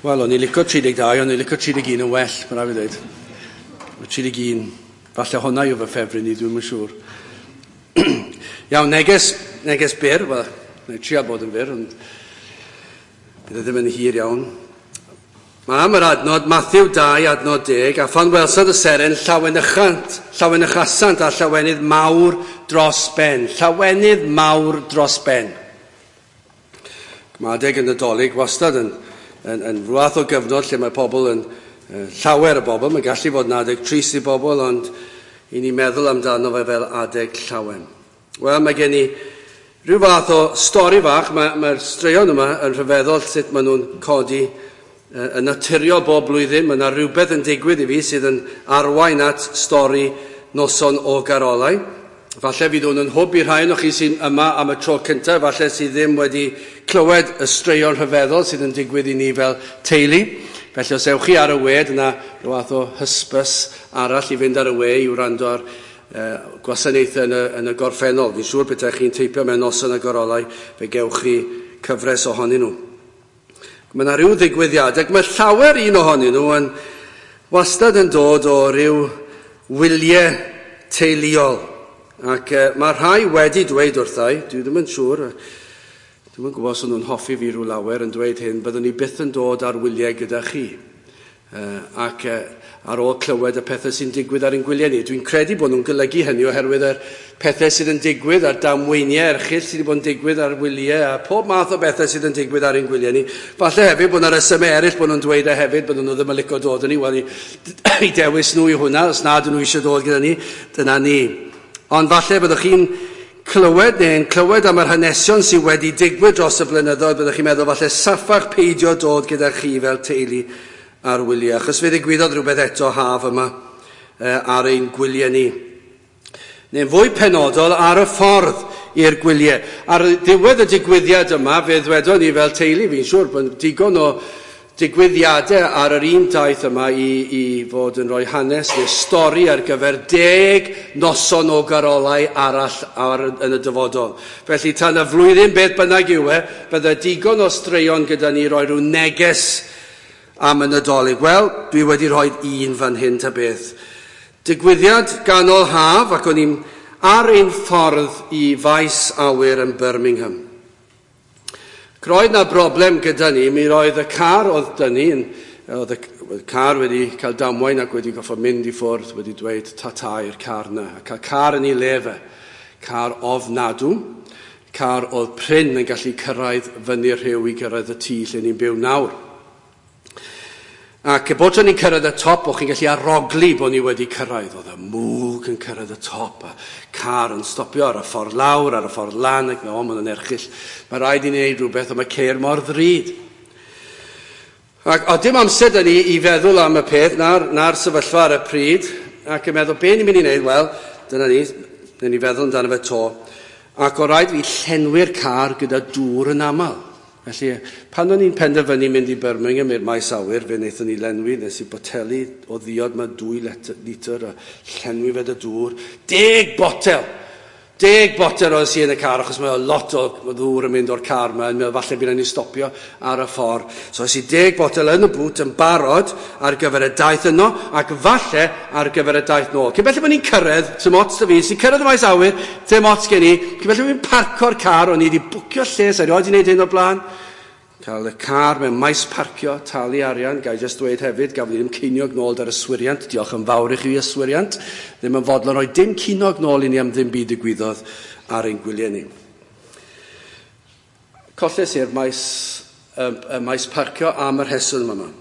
Wel, o'n i'n licio 32, o'n i'n licio 31 yn well, mae'n rhaid fi ddweud. Mae 31, falle hwnna yw fy ffefryn i, dwi'm yn siŵr. Iawn, neges, neges byr, wel, neu trio bod yn fyr, ond bydd e ddim yn hir iawn. Mae am yr adnod, Matthew 2, adnod 10, a phan welsant y seren, llawenychant, llawenychasant a llawenydd mawr dros ben. Llawenydd mawr dros ben. Mae adeg y Nadolig wastad yn, yn, yn rhywbeth o gyfnod lle mae pobl yn, llawer o bobl, mae'n gallu fod yn adeg trist i bobl, ond i ni meddwl amdano fe fel adeg llawen. Wel, mae gen i rhyw fath o stori fach, mae'r mae straeon yma yn rhyfeddol sut maen nhw'n codi yn naturiol bob blwyddyn. Mae yna rhywbeth yn digwydd i fi sydd yn arwain at stori noson o garolau. Falle fydd hwn yn hwb i rhai o'ch chi sy'n yma am y tro cyntaf, falle sydd ddim wedi clywed y straeon rhyfeddol sydd yn digwydd i ni fel teulu. Felly os ewch chi ar y we, dyna rhyw fath o hysbys arall i fynd ar y we i wrando ar gwasanaethau yn y, yn y gorffennol. Fi'n siŵr bethau chi'n teipio mewn noson y gorolau, fe gewch chi cyfres ohonyn nhw. Mae yna rhyw ddigwyddiadau, ac mae llawer un ohonyn nhw yn wastad yn dod o ryw wyliau teuluol. Ac mae rhai wedi dweud wrthai, dwi ddim yn siŵr, dwi'm yn gwybod os o'n nhw'n hoffi fi rhyw lawer yn dweud hyn, byddwn ni byth yn dod ar wyliau gyda chi. Ac ar ôl clywed y pethau sy'n digwydd ar ein gwyliau ni. Dwi'n credu bod nhw'n golygu hynny oherwydd yr pethau sydd yn digwydd a'r damweiniau erchyll sydd wedi bod yn digwydd ar wyliau a pob math o bethau sydd yn digwydd ar ein gwyliau ni. Falle hefyd bod yna resymau eraill bod nhw'n dweud e hefyd, bod nhw ddim yn licio dod â ni. Wel, i, i dewis nhw i hwnna, os nad ydyn nhw eisiau dod gyda ni, dyna ni. Ond falle byddwch chi'n clywed neu'n clywed am yr hanesion sydd wedi digwydd dros y blynyddoedd, byddwch chi'n meddwl falle saffach peidio dod gyda chi fel teulu ar wyliau. Achos fe ddigwyddodd rhywbeth eto haf yma ar ein gwyliau ni. Neu'n fwy penodol ar y ffordd i'r gwyliau. Ar ddiwedd y digwyddiad yma, fe ddwedon ni fel teulu, fi'n siŵr bod digon o digwyddiadau ar yr un daith yma i, i fod yn rhoi hanes neu stori ar gyfer 10 noson o garolau arall ar, yn y dyfodol. Felly tan y flwyddyn beth bynnag yw e, bydde digon o straeon gyda ni roi rhyw neges am y Nadolig. Wel, dwi wedi rhoi un fan hyn ta beth. Digwyddiad ganol haf ac o'n i'n ar ein ffordd i faes awyr yn Birmingham. Roedd na broblem gyda ni, mi roedd y car oedd dyn ni, oedd y car wedi cael damwain ac wedi goffod mynd i ffwrdd, wedi dweud ta-ta i'r car na. A cael car yn ei le fe, car ofnadw, car oedd prin yn gallu cyrraedd fyny'r rhiw i gyrraedd y tŷ lle ni'n byw nawr. Ac bod ni'n cyrraedd y top, o'ch chi'n gallu arogli bod ni wedi cyrraedd. Oedd y mwg yn cyrraedd y top, a car yn stopio ar y ffordd lawr, ar y ffordd lan, ac o, mae'n erchyll. Mae rhaid i ni wneud rhywbeth, ond mae ceir mor ddrud. Ac o dim amser da ni i feddwl am y peth, na'r, na'r sefyllfa ar y pryd, ac yn meddwl, be ni'n mynd i wneud? Wel, dyna ni, dyna ni feddwl amdano fe to. Ac o rhaid fi llenwi'r car gyda dŵr yn aml. Felly, pan o'n i'n penderfynu mynd i Birmingham i'r maes awyr, fe wnaethon ni lenwi, nes i boteli o ddiod ma 2 litr a llenwi fe dy dŵr. 10 botel! 10 botel oedd sy yn y car, achos mae lot o ddŵr yn mynd o'r car yma, yn meddwl falle bydd ni'n stopio ar y ffordd. So es i 10 botel yn y bŵt yn barod ar gyfer y daith yno, ac falle ar gyfer y daith nôl. Cyn belled bod ni'n cyrraedd, dim ots da fi, sy'n cyrraedd y maes awyr, dim ots gen i, cyn belled bod ni'n parco'r car, o'n i wedi bwcio lle, sa'i erioed wedi gwneud hyn o'r blaen. Cael y car mewn maes parcio, talu arian, gai jyst dweud hefyd, gafodd ni ddim ceiniog nôl dar yswiriant, diolch yn fawr i chi yswiriant, ddim yn fodlon rhoi dim ceiniog nôl i ni am ddim byd digwyddodd ar ein gwyliau ni. Colles i'r maes, y maes parcio am yr rheswm yma.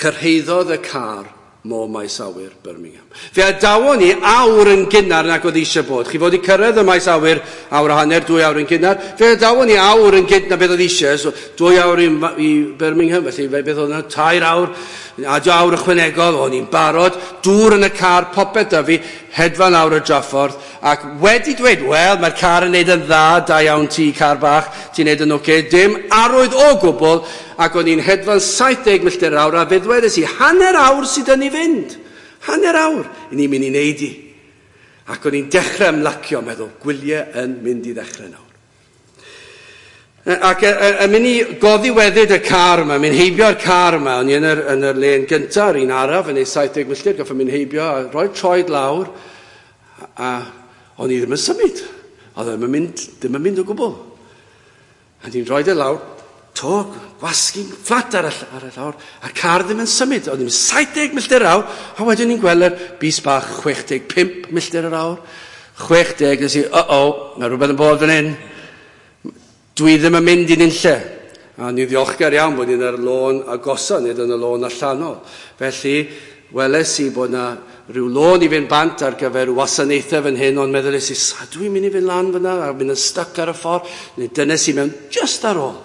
Cyrhaeddodd y car mo maes awyr Birmingham. Fe adawon ni awr yn gynnar nag oedd eisiau bod. Chi fod i cyrraedd y maes awyr awr a hanner, 2 awr yn gynnar. Fe adawon ni awr yn gynt na beth oedd eisiau. So, 2 awr i, i Birmingham, felly fe beth oedd yna, 3 awr, adio awr ychwanegol, o'n i'n barod, dŵr yn y car, popeth da fi, hedfan awr y draffordd, ac wedi dweud, wel, mae'r car yn neud yn dda, da iawn ti, car bach, ti'n neud yn oce, dim arwydd o gwbl, ac o'n i'n hedfan 70 milltir yr awr, a fe ddwedes i, hanner awr sydd yn i fynd, hanner awr, i ni'n mynd i neud i. Ac o'n i'n dechrau ymlacio, meddwl, gwyliau yn mynd i ddechrau nawr. Ac yn mynd i goddiweddyd y car yma, mynd heibio'r car yma, o'n i yn yr, yn yr len gyntaf, yr un araf, yn ei 70 milltir, goffa mynd heibio, a rhoi troed lawr, a o'n i ddim yn symud. Oedd ddim yn mynd, ddim yn mynd o gwbl. A ni'n rhoi e lawr, to, gwasgu fflat ar y, ar y llawr, a'r car ddim yn symud. Oedd ni'n 70 milltir yr awr, a wedyn ni'n gweld yr bys bach 65 milltir yr awr. 60, nes i, uh-oh, mae rhywbeth yn bod fan hyn. Dwi ddim yn mynd i'n unlle. A ni'n ddiolchgar iawn bod ni'n ar lôn agosa, nid yn y lôn allanol. Felly, weles i bod na rhyw lôn i fynd bant ar gyfer wasanaethau fan hyn, ond meddyliais i, sa dwi'n mynd i fynd lan fyna, a mynd yn styc ar y ffordd, neu dynes i mewn just ar ôl.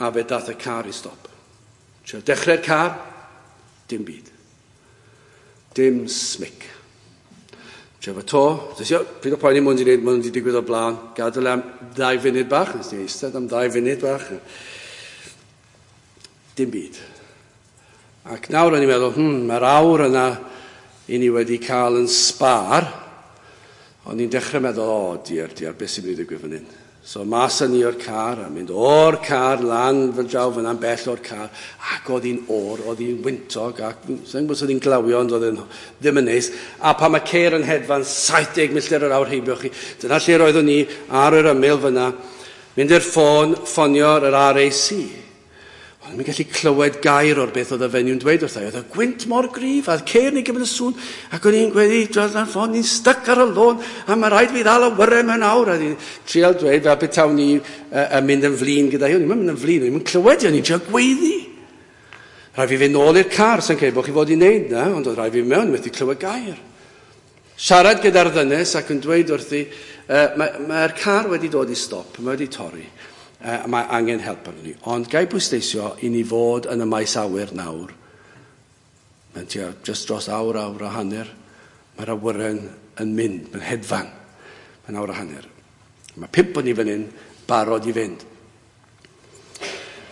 A fe dath y car i stop. Trio dechrau'r car, dim byd. Dim smic. Trio fo to, dys i, pryd o poeni mwyn i wneud, mwyn i digwydd o blaen, gadael am 2 funud bach, nes i eistedd am 2 funud bach. Dim byd. Ac nawr o'n i'n meddwl, mae'r awr yna i ni wedi cael yn sbar, o'n i'n dechrau meddwl, o, diar, diar, beth sy'n mynd i ddigwydd fan hyn? So mas â ni o'r car, a mynd o'r car lan fel draw fyna'n bell o'r car, ac oedd hi'n oer, oedd hi'n wyntog, ac sa'n gwybod os oedd hi'n glawio, ond oedd hi'n ddim yn neis. A pan mae ceir yn hedfan 70 milltir yr awr heibio chi, dyna lle roeddwn ni ar yr ymyl fyna, mynd i'r ffôn, ffonio'r yr RAC. O'n i'n gallu clywed gair o'r beth oedd y fenyw'n dweud wrtha i. Oedd y gwynt mor gryf, a ceir ni gymryd y sŵn, ac o'n i'n gweud, dros ar ffôn, ni'n styc ar y lôn, a mae rhaid fi ddal awyren mewn awr. A ni'n trial dweud fel petawn ni yn mynd yn flin gyda hi. O'n i'n mynd yn flin, o'n i'n clywed i, o'n i'n trial gweiddi. Rhaid fi fynd nôl i'r car, sa'n credu bod chi fod i wneud na, ond oedd rhaid fi mewn, methu clywed gair. Siarad gyda'r ddynes ac yn dweud wrthi, mae'r car wedi dod i stop, mae wedi torri. Mae angen help arno ni. Ond gai bwysleisio i ni fod yn y maes awyr nawr. Mae'n tua just dros awr, awr a hanner. Mae'r awyren yn mynd, mae'n hedfan. Mae'n awr a hanner. Mae 5 o'n ni fan hyn, barod i fynd.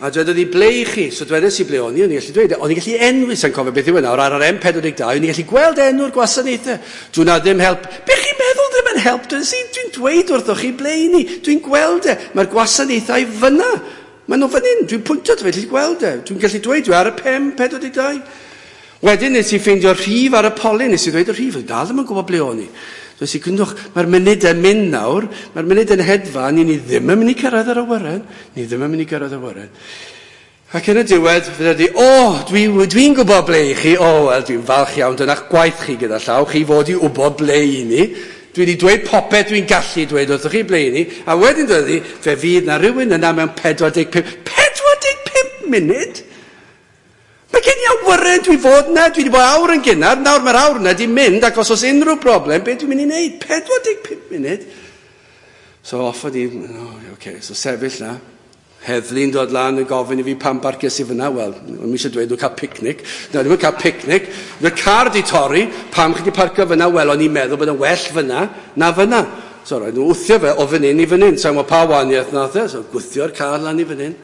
A dwedodd hi, ble i chi? So dwedes i ble o'n i, o'n i'n gallu dweud, o'n i'n gallu enwi, sa'n cofio beth yw e nawr, ar yr M42, o'n i'n gallu gweld enw'r gwasanaethau. Dwi'n na ddim help. Be chi'n meddwl ddim yn help? Dwi'n dweud wrthoch chi ble i ni. Dwi'n gweld e. Mae'r gwasanaethau fyna. Maen nhw fan hyn. Dwi'n pwyntio dwi gallu gweld e. Dwi'n gallu dweud, dwi ar y M42. Wedyn nes i ffeindio'r rhif ar y polyn, nes i ddweud y rhif, dal ddim yn gwybod ble o'n i. Dweud i, gwndwch, mae'r munud yn mynd nawr, mae'r munud yn hedfan, ni ddim yn mynd i cyrraedd yr awyren, ni ddim yn mynd i gyrraedd yr awyren. Ac yn y diwedd, fe ddweud i, o, dwi'n gwybod ble i chi, o, wel, dwi'n falch iawn, dyna'ch gwaith chi gyda llaw, chi fod i wybod ble i ni. Dwi wedi dweud popeth dwi'n gallu dweud wrthych chi ble i ni, a wedyn dweud i, fe fydd na rhywun yna mewn 45 munud. Mae gen i awyren, dwi fod yna, dwi wedi bod awr yn gynnar, nawr mae'r awr yna di mynd, ac os oes unrhyw broblem, beth dwi'n mynd i wneud? 45 munud. So off i, oh, okay, so sefyll na. Heddlu'n dod lan yn gofyn i fi pam barcies i fyna. Wel, o'n i eisiau dweud nhw'n cael picnic. Na, ddim yn cael picnic. Mae'r car di torri, pam chi di parcio fyna? Wel, o'n i'n meddwl bod yn well fyna na fyna. So roedd nhw wthio fe o fan hyn i fan hyn. Sa'n gwybod pa wahaniaeth nath e, so gwthio'r car lan i fan hyn.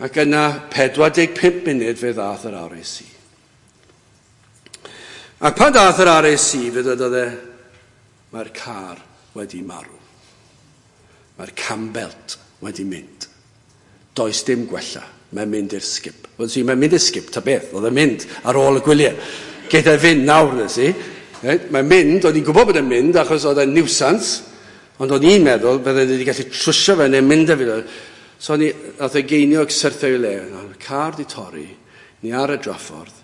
Ac yna 45 munud fe ddath yr RAC. Ac pan ddath yr RAC, fe dwedodd e, mae'r car wedi marw. Mae'r cambelt wedi mynd. Does dim gwella. Mae'n mynd i'r sgip. Wel, si, mae'n mynd i'r sgip, ta beth. Oedd e'n mynd ar ôl y gwyliau. Geith e fynd nawr, nes i. Mae'n mynd, o'n i'n gwybod bod e'n mynd, achos oedd e'n nuisance, ond o'n i'n meddwl bydden ni wedi gallu trwsio fe neu mynd â fi. So ni, nath e geiniog syrthio i le. Mae'r car di torri, ni ar y draffordd,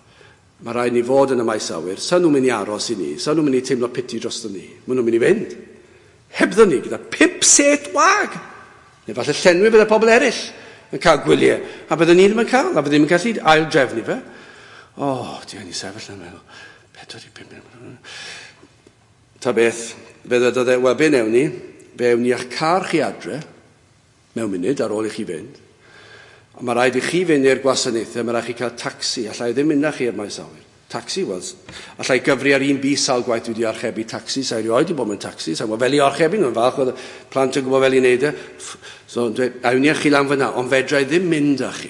mae rhaid ni fod yn y maes awyr, sa nhw'n mynd i aros i ni, sa nhw'n mynd i teimlo piti drosto ni, maen nhw'n mynd i fynd. Hebddo ni, gyda 5 set wag. Neu falle llenwi bydde pobl eraill yn cael gwyliau. A bydden ni ddim yn cael, a bydden ni'n gallu ail drefnu fe. O, di ni sefyll yn meddwl, 45 munud. Ta beth, fe ddedodd e, wel, be newn ni? Fe ewn ni a'ch car chi adre, mewn munud ar ôl i chi fynd. A mae rhaid i chi fynd i'r gwasanaethau, mae rhaid chi cael tacsi. Allai ddim mynd â chi i'r maes awyr. Tacsi, wel, allai gyfri ar un bys sawl gwaith dwi wedi archebu tacsi, sa'i rioed wedi bod mewn tacsi, sa'i gwybod fel i archebu nhw'n falch oedd y plant yn gwybod fel i wneud e. So, dweud, a wn i chi lan fyna, ond fedra i ddim mynd â chi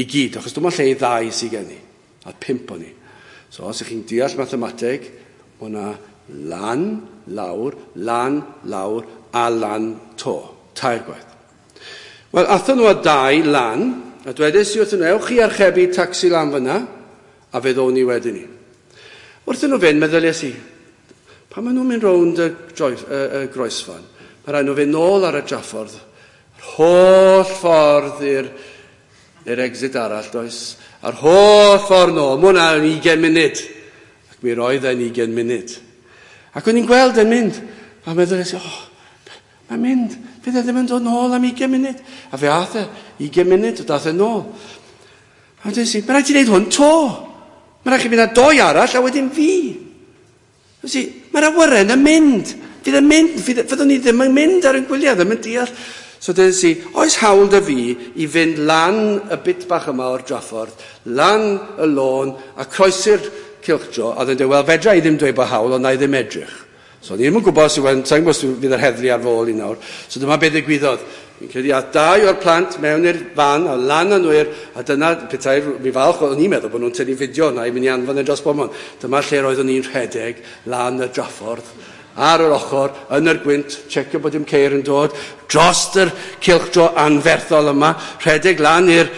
i gyd, achos dyma lle i ddau sydd gen i, a 5 o'n i. So, os ych chi'n deall mathemateg, mae hwnna lan, lawr, lan, lawr, a lan to. 3 gwaith. Wel, athon nhw â dau lan, a dwedais i wrthyn nhw, ewch chi archebu tacsi lan fyna, a fe ddown ni wedyn ni. Wrthyn nhw fynd, meddyliais i, pan maen nhw'n mynd rownd y, droif, y, y groesfan, mae rhaid nhw fynd nôl ar y draffordd, yr holl ffordd i'r i'r exit arall, does? A'r holl ffordd nôl, mae hwnna'n 20 munud. Ac mi roedd e'n 20 munud. Ac o'n i'n gweld e'n mynd, a meddyliais i, oh, mae'n mynd, fydd e ddim yn dod nôl am 20 munud. A fe ath e, 20 munud, o dath e nôl. A dweud i, mae rhaid ti wneud hwn to. Mae rhaid chi fynd â doi arall a wedyn fi. Felly, mae'r awyren yn mynd. Fydd yn mynd, fyddwn ni ddim yn mynd ar ein gwyliau, ddim yn deall. So dweud i, oes hawl dy fi i fynd lan y bit bach yma o'r draffordd, lan y lôn a croesi'r cylchdro, a dweud, wel, fedra i ddim dweud bod hawl, ond na i ddim edrych. So ni ddim yn gwybod os yw sa'n gwybod os fydd yr heddlu ar fy ôl i nawr. So dyma beth ddigwyddodd. Fi'n credu a dau o'r plant mewn i'r fan, a lan â nhw i'r, a dyna, petai, mi falch, o'n i'n meddwl bod nhw'n tynnu fideo yna i mynd i anfon e dros bobman. Dyma lle roeddwn i'n rhedeg lan y draffordd, ar yr ochr, yn yr gwynt, checio bod dim ceir yn dod, dros yr cylchdro anferthol yma, rhedeg lan i'r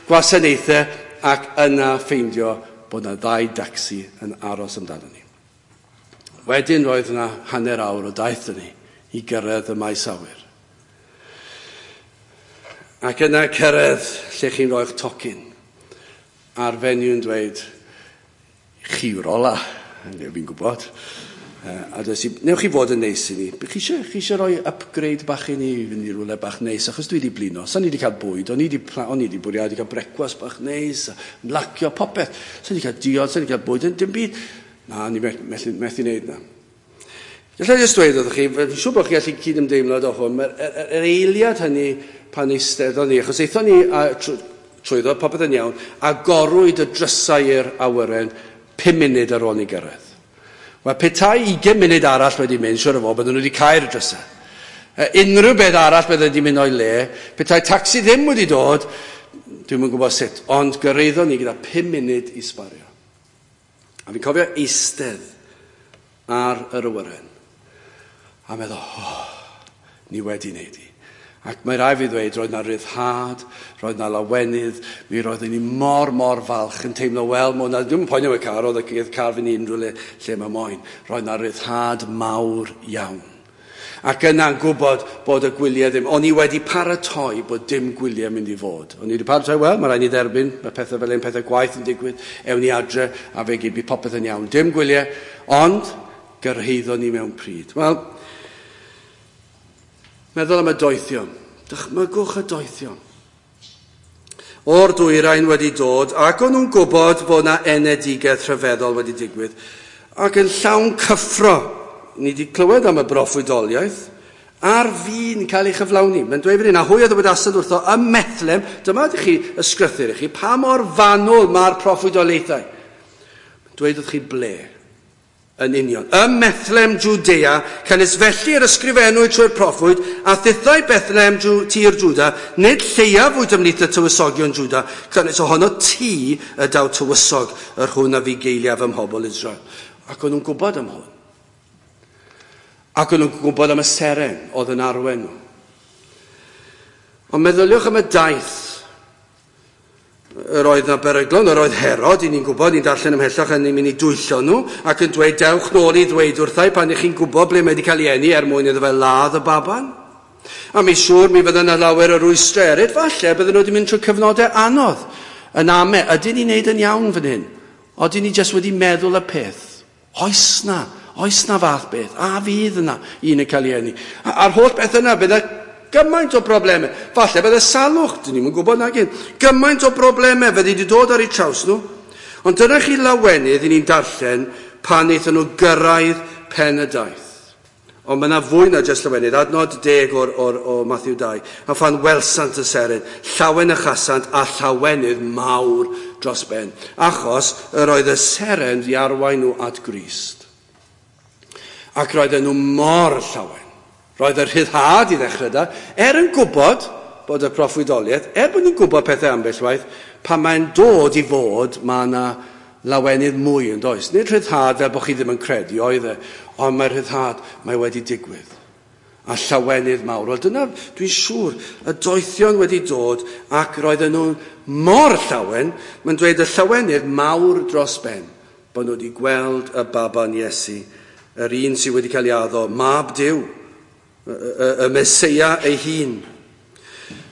gwasanaethau ac yna ffeindio bod yna ddau dacsi yn aros amdano ni. Wedyn roedd yna hanner awr o daith ni i gyrraedd y maes awyr. Ac yna cyrraedd lle chi'n rhoi'ch tocyn. A'r fenyw yn dweud, chi yw'r ola, neu fi'n gwybod. A dweud i, newch chi fod yn neis i ni. Chi eisiau, chi eisiau rhoi upgrade bach i ni i fynd i rhywle bach neis, achos dwi wedi blino. Sa'n ni wedi cael bwyd, o'n i wedi, o'n i wedi bwriadu cael brecwast bach neis, a ymlacio, popeth. Sa'n ni wedi cael diod, sa'n ni wedi cael bwyd, dim byd. Na, ni methu, methu wneud na. Gallai jyst dweud wrthych chi, fi'n siŵr bod chi gallu cydymdeimlad o hwn, mae'r er, er, er eiliad hynny pan eisteddon ni, achos aethon ni a, trwyddo, popeth yn iawn, agorwyd y drysau i'r awyren 5 munud ar ôl ni gyrraedd. Wel, petai 20 munud arall wedi mynd, siwr o fod, bydden nhw wedi cau'r drysau. Unrhyw beth arall bydde wedi mynd o'i le, petai tacsi ddim wedi dod, dwi'm yn gwybod sut, ond gyrraeddon ni gyda 5 munud i sbario. A fi'n cofio eistedd ar yr awyren a meddwl, oh, ni wedi wneud i. Ac mae rai fi ddweud, roedd na ryddhad, roedd na lawenydd, mi roeddwn ni mor, mor falch yn teimlo, wel, mae hwnna, dwi'm yn poeni am y car, oedd y car fynd i unrhyw le lle mae moyn. Roedd na ryddhad mawr iawn. Ac yna'n gwybod bod y gwyliau ddim, o'n i wedi paratoi bod dim gwyliau mynd i fod. O'n i wedi paratoi, wel, mae rhaid ni dderbyn, mae pethau fel un, pethau gwaith yn digwydd, ewn ni adre, a fe gyd, bydd popeth yn iawn. Dim gwyliau, ond gyrhaeddon ni mewn pryd. Wel, meddwl am y doethion. Dychmygwch y doethion. O'r dwyrain wedi dod, ac o'n nhw'n gwybod bod yna enedigaeth rhyfeddol wedi digwydd, ac yn llawn cyffro, ni wedi clywed am y broffwydoliaeth, ar fin cael ei chyflawni. Mae'n dweud fan hyn, a hwy a ddywedasant wrtho ym Methlehem, dyma ydych chi ysgrythur i chi, pa mor fanwl mae'r proffwydoliaethau. Mae'n dweud wrth chi ble yn union. Ym Methlehem, Judea, canys felly yr ysgrifennwyd trwy'r proffwyd, a thithau Bethlehem tir Juda, nid lleiaf wyt ymhlith y tywysogion Juda, canys ohono ti y daw tywysog yr hwn a fugeiliaf ym mhobl Israel. Ac o'n nhw'n gwybod am hwn. Ac o'n nhw'n gwybod am y seren oedd yn arwain nhw. Ond meddyliwch am y daith. Yr oedd na beryglon, yr oedd Herod, i ni'n gwybod, ni'n darllen ymhellach yn mynd i dwyllo nhw, ac yn dweud, dewch nôl i ddweud wrthai pan ych chi'n gwybod ble mae wedi cael ei eni er mwyn iddo fe ladd y baban. A mi siŵr mi fydda yna lawer o rwystrau eraill, falle bydden nhw wedi mynd trwy cyfnodau anodd. Yn ame, ydyn ni'n neud yn iawn fan hyn? Odyn ni jyst wedi meddwl y peth? Oes na, oes na fath beth? A fydd yna un yn cael ei eni? A'r holl beth yna, bydde gymaint o broblemau. Falle bydde salwch, dyn ni'm yn gwybod nag un. Gymaint o broblemau fydde wedi dod ar eu traws nhw. Ond dyna chi lawenydd i ni'n darllen pan wnaethon nhw gyrraedd pen y daith. Ond mae yna fwy na jyst llawenydd. Adnod 10 o'r, or, o Matthew 2. A phan welsant y seren, llawen y chasant a llawenydd mawr dros ben. Achos yr oedd y seren di arwain nhw at Grist. Ac roedden nhw mor llawen. Roedd y rhyddhad i ddechrau da, er yn gwybod bod y proffwydoliaeth, er bod nhw'n gwybod pethau ambell waith, pan mae'n dod i fod, mae yna lawenydd mwy yn does. Nid rhyddhad fel bod chi ddim yn credu, oedd e, ond mae'r rhyddhad, mae wedi digwydd. A llawenydd mawr. Wel, dyna, dwi'n siŵr, y doethion wedi dod ac roedden nhw mor llawen, mae'n dweud y llawenydd mawr dros ben, bod nhw wedi gweld y baban Iesu, yr un sydd wedi cael ei addo, mab Duw, y Meseia ei hun.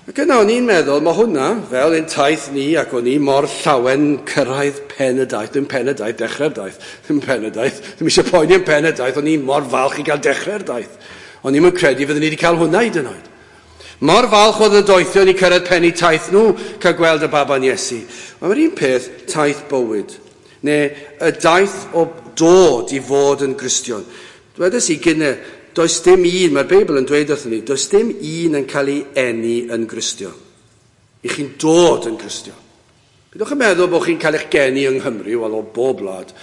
Ac yna o'n i'n meddwl, mae hwnna, fel ein taith ni, ac o'n i mor llawen cyrraedd pen y daith, ddim pen y daith, dechrau'r daith, ddim pen y daith, ddim eisiau poeni am pen y daith, o'n i mor falch i gael dechrau'r daith. O'n i'n credu fyddwn ni wedi cael hwnna hyd yn oed. Mor falch oedd y doethion i cyrraedd pen eu taith nhw, cael gweld y baban Iesu. Mae'r un peth, taith bywyd, neu y daith o dod i fod yn Gristion. Dwedes i gynne, does dim un, mae'r Beibl yn dweud wrthyn ni, does dim un yn cael ei eni yn Gristion. I chi'n dod yn Gristion. Byddwch yn meddwl bod chi'n cael eich geni yng Nghymru, wel o bob wlad,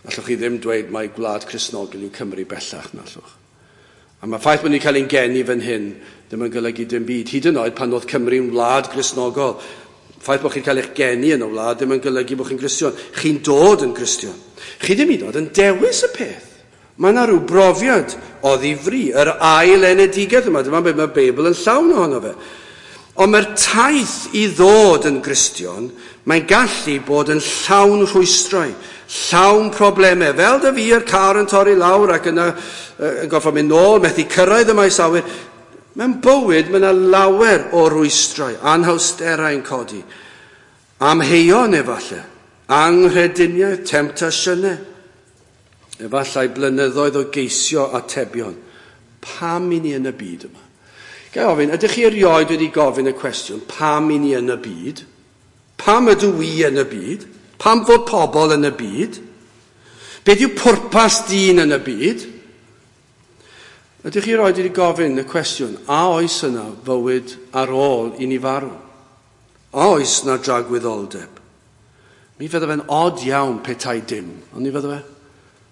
allwch chi ddim dweud mai gwlad Cristnogol yw Cymru bellach, na allwch. A mae ffaith bod ni'n cael ein geni fan hyn ddim yn golygu dim byd. Hyd yn oed pan oedd Cymru'n wlad Gristnogol, ffaith bod chi'n cael eich geni yn y wlad ddim yn golygu bod chi'n Gristion. Chi'n dod yn Gristion. Chi ddim hyd yn oed yn dewis y peth. Mae yna rhyw brofiad o ddifri, yr ail enedigaeth yma, dyma beth mae'r Beibl yn llawn ohono fe. Ond mae'r taith i ddod yn Gristion, mae'n gallu bod yn llawn rhwystrau, llawn problemau. Fel dy fi a'r car yn torri lawr ac yna yn gorfod mynd nôl, methu cyrraedd y maes awyr. Mewn bywyd, mae yna lawer o rwystrau, anhawsterau yn codi. Amheuon efallai, anghrediniaeth, temtasiynau. Efallai blynyddoedd o geisio atebion. Pam i ni yn y byd yma? Ga i ofyn, ydych chi erioed wedi gofyn y cwestiwn, pam i ni yn y byd? Pam ydw i yn y byd? Pam fod pobl yn y byd? Beth yw pwrpas dyn yn y byd? Ydych chi erioed wedi gofyn y cwestiwn, a oes yna fywyd ar ôl i ni farw? A oes yna dragwyddoldeb? Mi fydde fe'n od iawn petai dim, ond ni fydde fe?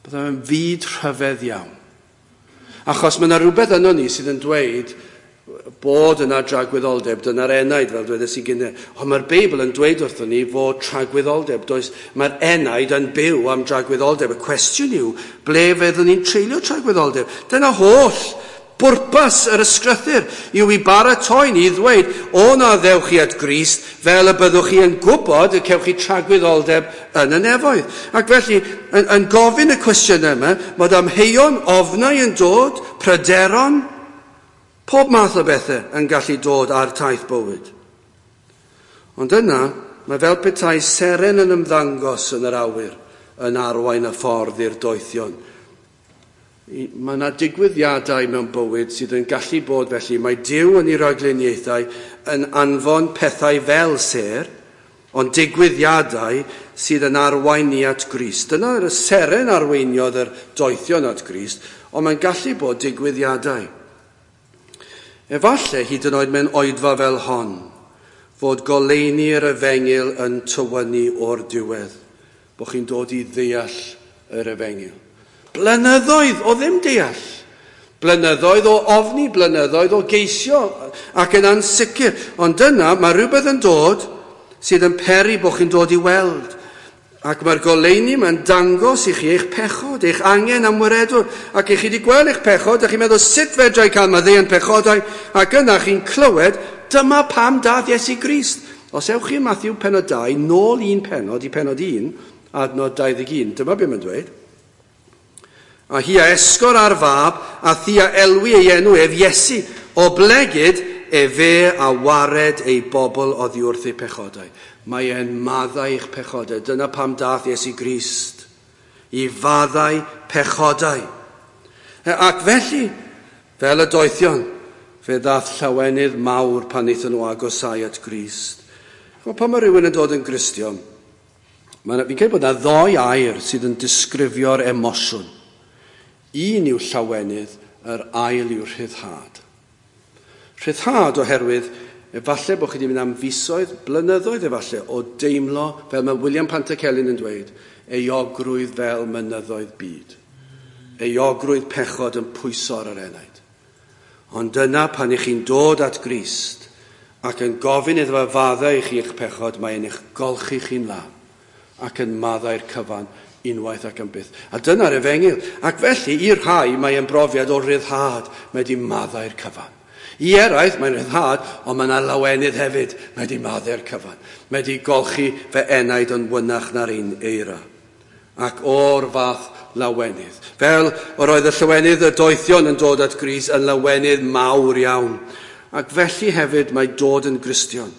Bydde fe'n fyd rhyfedd iawn. Achos mae yna rhywbeth yno ni sydd yn dweud bod yna dragwyddoldeb, dyna'r enaid, fel dwedes i gynne. Ond mae'r Beibl yn dweud wrthon ni fod tragwyddoldeb. Does, mae'r enaid yn byw am dragwyddoldeb. Y cwestiwn yw, ble fyddwn ni'n treulio tragwyddoldeb? Dyna holl bwrpas yr ysgrythur yw i baratoi ni i ddweud, o na ddewch chi at Grist, fel y byddwch chi yn gwybod y cewch chi tragwyddoldeb yn y nefoedd. Ac felly, yn gofyn y cwestiynau yma, bod amheuon, ofnau yn dod, pryderon, pob math o bethau yn gallu dod ar taith bywyd. Ond yna, mae fel petai seren yn ymddangos yn yr awyr, yn arwain y ffordd i'r doethion. Mae yna digwyddiadau mewn bywyd sydd yn gallu bod felly. Mae Duw yn ei ragluniaethau yn anfon pethau fel sêr, ond digwyddiadau sydd yn arwain ni at Grist. Dyna'r seren arweiniodd yr doethion at Grist, ond mae'n gallu bod digwyddiadau. Efallai hyd yn oed mewn oedfa fel hon, fod goleuni'r efengyl yn tywynnu o'r diwedd, bod chi'n dod i ddeall yr efengyl. Blynyddoedd o ddim deall, blynyddoedd o ofni, blynyddoedd o geisio ac yn ansicr. Ond dyna mae rhywbeth yn dod sydd yn peri bod chi'n dod i weld. Ac mae'r goleuni mae'n dangos i chi eich pechod, eich angen am waredwr. Ac i chi wedi gweld eich pechod, a chi'n meddwl sut fedra i cael maddeuant pechodau, ac yna chi'n clywed, dyma pam dath Iesu Grist. Os ewch chi Matthew pennod 2, nôl un pennod i pennod 1, adnod 21, dyma beth mae'n dweud. A hi a esgor ar fab, a thi a elwi ei enw ef Iesu, oblegid efe a wared ei bobl oddi wrth ei pechodau. Mae e'n maddau eich pechodau. Dyna pam dath Iesu Grist, i faddau pechodau. Ac felly, fel y doethion, fe ddath llawenydd mawr pan wnaethon nhw agosau at Grist. Chimod, pan mae rhywun yn dod yn Gristion, fi'n credu bod yna ddou air sydd yn disgrifio'r emosiwn. Un yw llawenydd, yr ail yw rhyddhad. Rhyddhad oherwydd efallai bod chi wedi mynd am fisoedd, blynyddoedd efallai, o deimlo, fel mae William Pantycelyn yn dweud, euogrwydd fel mynyddoedd byd. Euogrwydd pechod yn pwyso ar yr enaid. Ond dyna pan ych chi'n dod at Grist ac yn gofyn iddo fe faddau i chi eich pechod, mae e'n eich golchi chi'n lân ac yn maddau'r cyfan. Unwaith ac am byth. A dyna'r efengyl. Ac felly, i'r rhai, mae'n brofiad o ryddhad. Mae wedi maddau'r cyfan. I eraill, mae'n ryddhad, ond mae yna lawenydd hefyd. Mae wedi maddau'r cyfan. Mae wedi golchi fe enaid yn wynach na'r un eira. Ac o'r fath lawenydd. Fel yr oedd y llawenydd y doethion yn dod at Grist yn lawenydd mawr iawn. Ac felly hefyd mae dod yn Gristion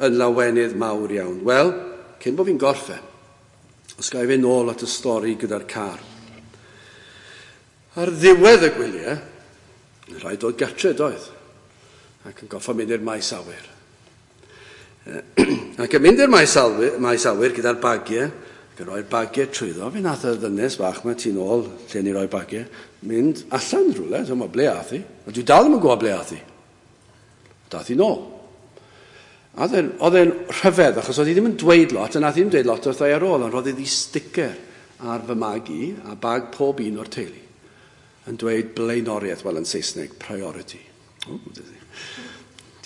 yn lawenydd mawr iawn. Wel, cyn bod fi'n gorffen, os ga i fynd nôl at y stori gyda'r car. Ar ddiwedd y gwyliau, rhaid dod gatre doedd, ac yn goffa mynd i'r maes awyr. Ac yn mynd i'r maes awyr, maes awyr gyda'r bagiau, ac yn rhoi'r bagiau trwyddo, fe nath y ddynes fach yma tu nôl, lle ni roi bagiau, mynd allan rhywle, dwi'n meddwl, ble ath hi? A dwi dal ddim yn gwybod ble ath hi. Dath hi nôl. A oedd e'n rhyfedd, achos oedd hi ddim yn dweud lot, a nath hi ddim dweud lot wrtha i ar ôl, ond roedd hi sticker ar fy mag i, a bag pob un o'r teulu, yn dweud blaenoriaeth, wel yn Saesneg, priority. O,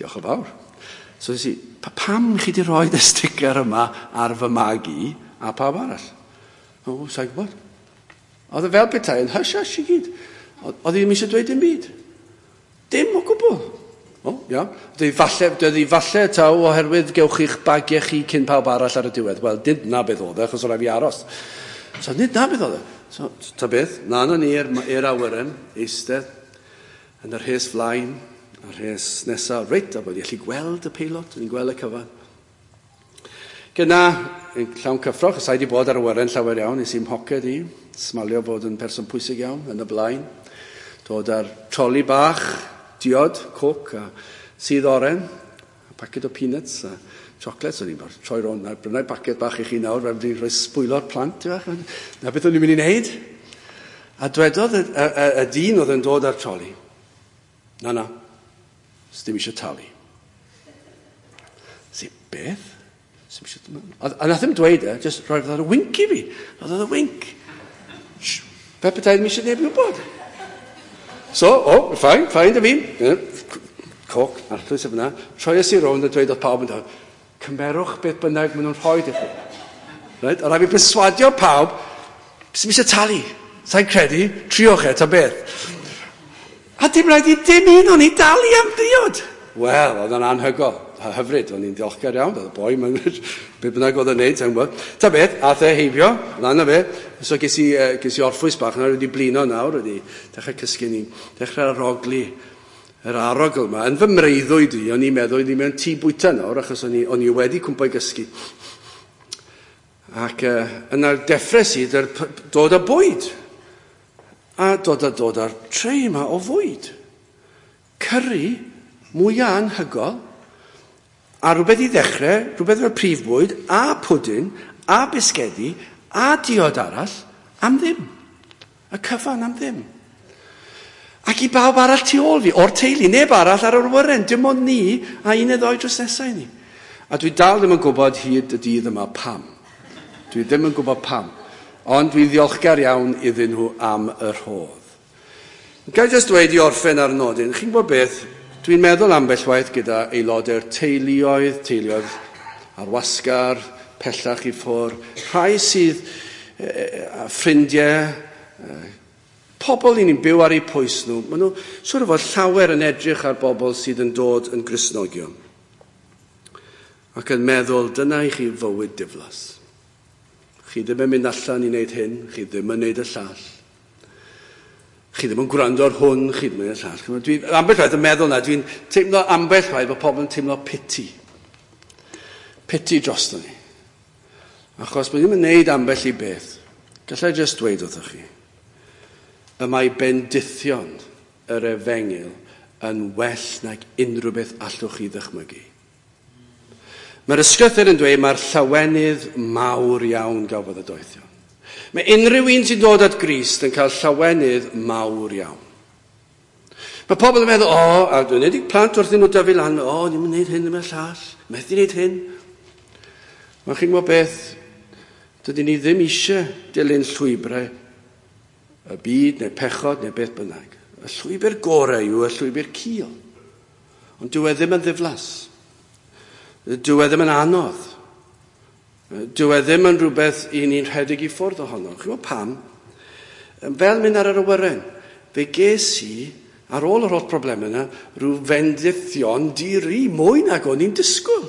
diolch yn fawr. So nes i, pam chi di rhoi y sticker yma ar fy mag i a pawb arall? O, sa'n gwybod. Oedd e fel petai yn hush hush i gyd. Oedd hi ddim eisiau dweud dim byd. Dim o gwbl. O, iawn. Dwi falle, dwi falle taw oherwydd gewch chi'ch bagiau chi cyn pawb arall ar y diwedd. Wel, nid na beth oedd e, achos oedd rhaid fi aros. So, nid na beth oedd e. So, ta beth, na na ni i'r awyren, eistedd yn yr rhes flaen, a'r rhes nesaf, reit, a bod i allu gweld y peilot, o'n i'n gweld y cyfan. Gyna, yn llawn cyffro, chos wedi bod ar awyren llawer iawn, nes i'n mhoced i, smalio fod yn person pwysig iawn, yn y blaen. Dod ar troli bach, diod, coc, a sudd oren, a paced o peanuts, a chocolates. O'n i'n troi rownd, na brynau paced bach i chi nawr, fe wedi rhoi sbwylo'r plant. Na beth o'n i'n mynd i wneud. A dwedodd y, y, y, y dyn oedd yn dod ar troli, na, na, dim eisiau talu. Si, beth? Dim eisiau... A nath ddim dweud e, just rhoi fatha wink i fi. Roedd y wink. Fe petai ddim eisiau neb i wybod. So, o, oh, fine, fine, da fi. Coc, arllwys o fyna. Troies i rownd a dweud oedd pawb yn dweud, cymerwch beth bynnag maen nhw'n rhoi i chi. Right? A rhaid fi perswadio pawb, sy'n eisiau talu. Sa'n credu, triwch e, ta beth. A dim rhaid i dim un o'n i dalu am ddiod. Wel, oedd o'n anhygoel, hyfryd, o'n i'n diolchgar iawn, oedd y boi, be bynnag oedd o'n neud, sa'n gwybod. Ta beth, ath e heibio, lan o fe, so ges i, ges i orffwys bach, nawr wedi blino nawr, wedi dechrau cysgu ni, dechrau arogli yr arogl yma. Yn fy mreuddwyd i, o'n i'n meddwl, o'n i mewn tŷ bwyta nawr, achos o'n i, o'n i wedi cwmpo i gysgu. Ac yna deffres i, dod â bwyd. A dod â dod â'r tray yma o fwyd. Curry, mwyaf anhygoel, a rhywbeth i ddechrau, rhywbeth fel prif bwyd, a pwdin, a bisgedi, a diod arall, am ddim. Y cyfan am ddim. Ac i bawb arall tu ôl fi, o'r teulu, neb arall ar yr awyren, dim ond ni, a un neu ddoi drws nesau ni. A dwi dal ddim yn gwybod hyd y dydd yma pam. Dwi ddim yn gwybod pam. Ond dwi'n ddiolchgar iawn iddyn nhw am y rhodd. Ga i jyst dweud i orffen ar nodyn, chi'n gwybod beth? Dwi'n meddwl ambell waith gyda aelodau'r teuluoedd, teuluoedd ar wasgar, pellach i ffwrdd, rhai sydd a ffrindiau, pobl i ni'n byw ar eu pwys nhw. Maen nhw siŵr o fod llawer yn edrych ar bobl sydd yn dod yn Gristnogion ac yn meddwl, dyna i chi fywyd diflas. Chi ddim yn mynd allan i wneud hyn, chi ddim yn wneud y llall. Chi ddim yn gwrando ar hwn, chi ddim yn gwneud y llall. Dwi'n ambell waith yn meddwl na, dwi'n teimlo ambell waith bod pobl yn teimlo pity. Pity drosto ni. Achos bod ddim yn wneud ambell i beth. Gallai jyst dweud wrthych chi, y mae bendithion yr efengyl yn well nag unrhyw beth allwch chi ddychmygu. Mae'r ysgrythur yn dweud mae'r llawenydd mawr iawn gafodd y doethion. Mae unrhyw un sy'n dod at Grist yn cael llawenydd mawr iawn. Mae pobl yn meddwl, o, a dwi'n edrych plant wrth nhw dyfu lan, o, ni'n mynd wneud hyn, ddim y llall, methu wneud hyn. Mae chi'n gwybod beth, dydyn ni ddim eisiau dilyn llwybrau y byd neu pechod neu beth bynnag. Y llwybr gorau yw y llwybr cul. Ond dyw e ddim yn ddiflas. Dyw e ddim yn anodd. Dyw e ddim yn rhywbeth i ni'n rhedeg i ffwrdd ohono. Chi'n gwybod pam? Fel mynd ar yr awyren, fe ges i, ar ôl yr holl problemau yna, rhyw fendithion di-ri, mwy nag o'n i'n disgwyl.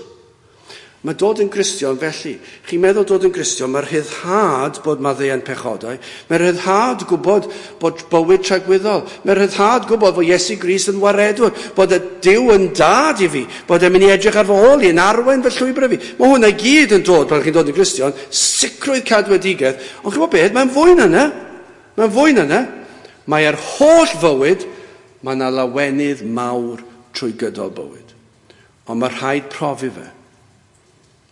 Mae dod yn Gristion felly. Chi'n meddwl dod yn Gristion, mae'r rhyddhad bod maddeuant pechodau, mae'r rhyddhad gwybod bod bywyd tragwyddol, mae'r rhyddhad gwybod bod Iesu Grist yn waredwr, bod y Duw yn dad i fi, bod e'n mynd i edrych ar fy ôl i, yn arwain fy llwybr i fi. Mae hwnna i gyd yn dod pan chi'n dod yn Gristion, sicrwydd cadwedigaeth, ond chi'n gwybod beth, mae'n fwy na yna. Mae'n fwy na yna. Mae'r holl fywyd, mae yna lawenydd mawr trwy gydol bywyd. Ond mae rhaid profi fe.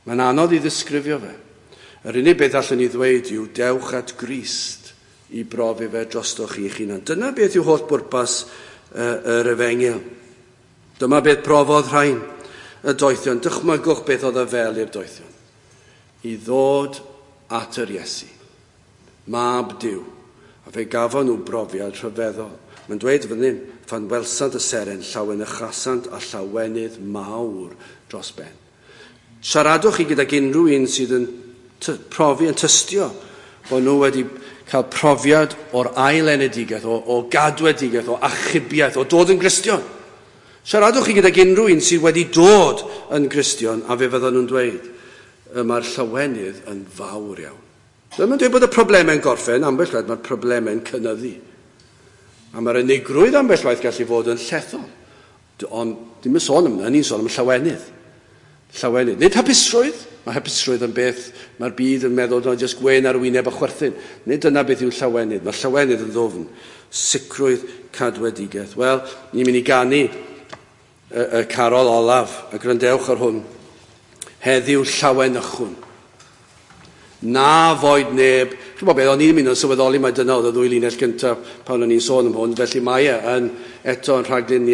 Mae'n anodd i ddisgrifio fe. Yr unig beth allwn ni ddweud yw dewch at Grist i brofi fe drostoch chi'ch hunan. Dyna beth yw holl bwrpas yr efengyl. Dyma beth profodd rhain y doethion. Dychmygwch beth oedd y fel i'r doethion. I ddod at yr Iesu, mab Duw. A fe gafon nhw brofiad rhyfeddol. Mae'n dweud fan hyn, phan welsant y seren, llawenychasant a llawenydd mawr dros ben. Siaradwch chi gydag unrhyw un sydd yn profi, yn tystio bod nhw wedi cael profiad o'r ail enedigaeth, o gadwedigaeth, o achubiaeth, o dod yn Gristion. Siaradwch chi gydag unrhyw un sydd wedi dod yn Gristion, a fe fyddan nhw'n dweud, mae'r llawenydd yn fawr iawn. Ddim yn dweud bod y problemau'n gorffen, ambell waith mae'r problemau'n cynyddu. A mae'r unigrwydd ambell waith gallu fod yn llethol. Ond dim yn sôn am hynny, ni'n sôn am llawenydd. Llawenydd. Nid hapusrwydd. Mae hapusrwydd yn beth mae'r byd yn meddwl no, jyst gwên ar wyneb a chwerthin. Nid dyna beth yw llawenydd. Mae llawenydd yn ddwfn. Sicrwydd cadwedigaeth. Wel, ni'n mynd i ganu y carol olaf, a gwrandewch ar hwn. Heddiw llawenychwn. Na foed neb. Chi'n gwybod beth, o'n i'n mynd yn sylweddoli mai dyna oedd y ddwy linell gyntaf pan o'n i'n sôn am hwn, felly mae e yn eto yn rhagluniad.